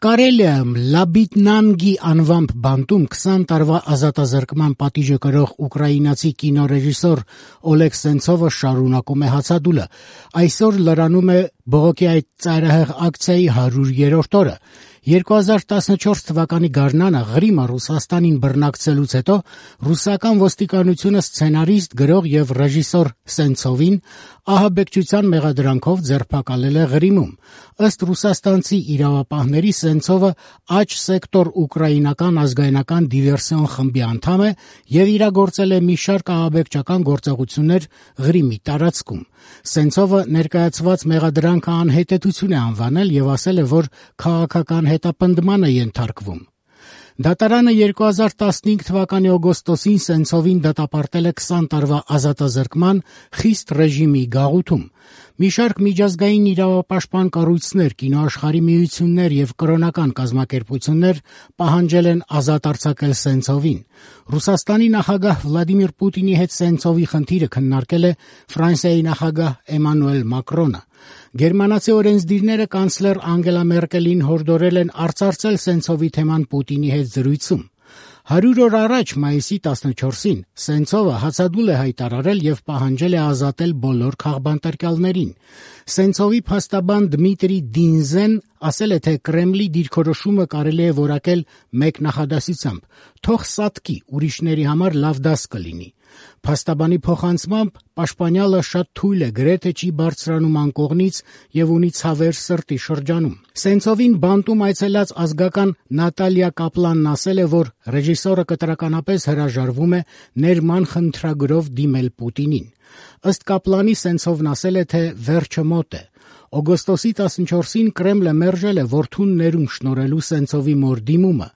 Կարելիայում Լաբիտնանգի անվամբ բանտում 20 տարվա ազատազրկման պատիժը կրող ուկրաինացի կինոռեժիսոր Օլեգ Սենցովը շարունակում է հացադուլը։ Այսօր լրանում է բողոքի այդ ծայրահեղ ակցիայի 100-րդ օրը։ 2014 թվականի գարնանը Ղրիմը Ռուսաստանին բռնակցելուց հետո ռուսական ոստիկանությունը սցենարիստ, գրող եւ ռեժիսոր Սենցովին ահաբեկչության մեղադրանքով ձերբակալել է Ղրիմում։ Ըստ ռուսաստանցի իրավապահների Սենցովը Աջ սեկտոր ուկրաինական ազգայնական դիվերսիոն խմբի անդամ է եւ իրագործել է մի շարք ահաբեկչական գործողություններ Ղրիմի տարածքում։ Սենցովը ներկայացված մեղադրանքը անհետեցություն է անվանել եւ ասել է, որ քաղաքական հետապնդման է ենթարկվում։ Դատարանը 2015 թվականի օգոստոսին Սենցովին դատապարտել է 20 տարվա ազատազրկման խիստ ռեժիմի գաղութում։ Մի շարք միջազգային իրավապաշտպան կառույցներ, կինոաշխարհի միություններ եւ կրոնական կազմակերպություններ պահանջել են ազատ արձակել Սենցովին։ Ռուսաստանի նախագահ Վլադիմիր Պուտինի հետ Սենցովի խնդիրը քննարկել է Ֆրանսիայի նախագահ Էմանուել Մակրոնը։ Գերմանացի օրենսդիրները կանցլեր Անգելա Մերկելին հորդորել են արծարծել Սենցովի թեման Պուտինի հետ զրույցում։ 100 օր առաջ, մայիսի 14-ին, Սենցովը հացադուլ է հայտարարել եւ պահանջել է ազատել բոլոր քաղբանտարկյալներին։ Սենցովի փաստաբան Դմիտրի Դինզեն ասել է, թե Կրեմլի դիրքորոշումը կարելի է որակել մեկ նախադասությամբ. «Թող սատկի, ուրիշների համար լավ դաս կլինի»։ Փաստաբանի փոխանցմամբ պաշտպանյալը շատ թույլ է, գրեթե չի բարձրանում անկողնից եւ ունի ցավեր սրտի շրջանում։ Սենցովին բանտում այցելած ազգական Նատալիա Կապլանն ասել է, որ ռեժիսորը կտրականապես հրաժարվում է ներման խնդրագրով դիմել Պուտինին։ Ըստ Կապլանի Սենցովն ասել է, թե վերջը մոտ է։ Օգոստոսի 14-ին Կրեմլը մերժել է որդուն ներում շնորհելու Սենցովի մոր դիմումը։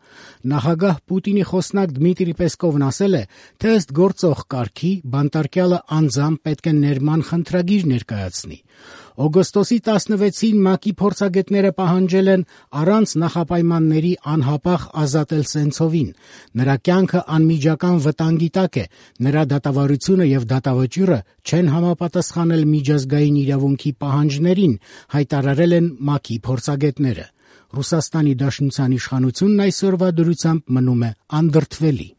Նախագահ Պուտինի խոսնակ Դմիտրի Պեսկովն ասել է, թե ըստ գործող կարգի բանտարկյալը անձամբ պետք է ներման խնդրագիր ներկայացնի։ Օգոստոսի 16-ին ՄԱԿ-ի փորձագետները պահանջել են առանց նախապայմանների անհապաղ ազատել Սենցովին։ Նրա կյանքը անմիջական վտանգի տակ է, նրա դատավարությունը եւ դատավճիռը չեն համապատասխանել միջազգային իրավունքի պահանջներին, հայտարարել են ՄԱԿ-ի փորձագետները։ Ռուսաստանի Դաշնության իշխանությունն այսօրվա դրությամբ մնում է անդրդվելի։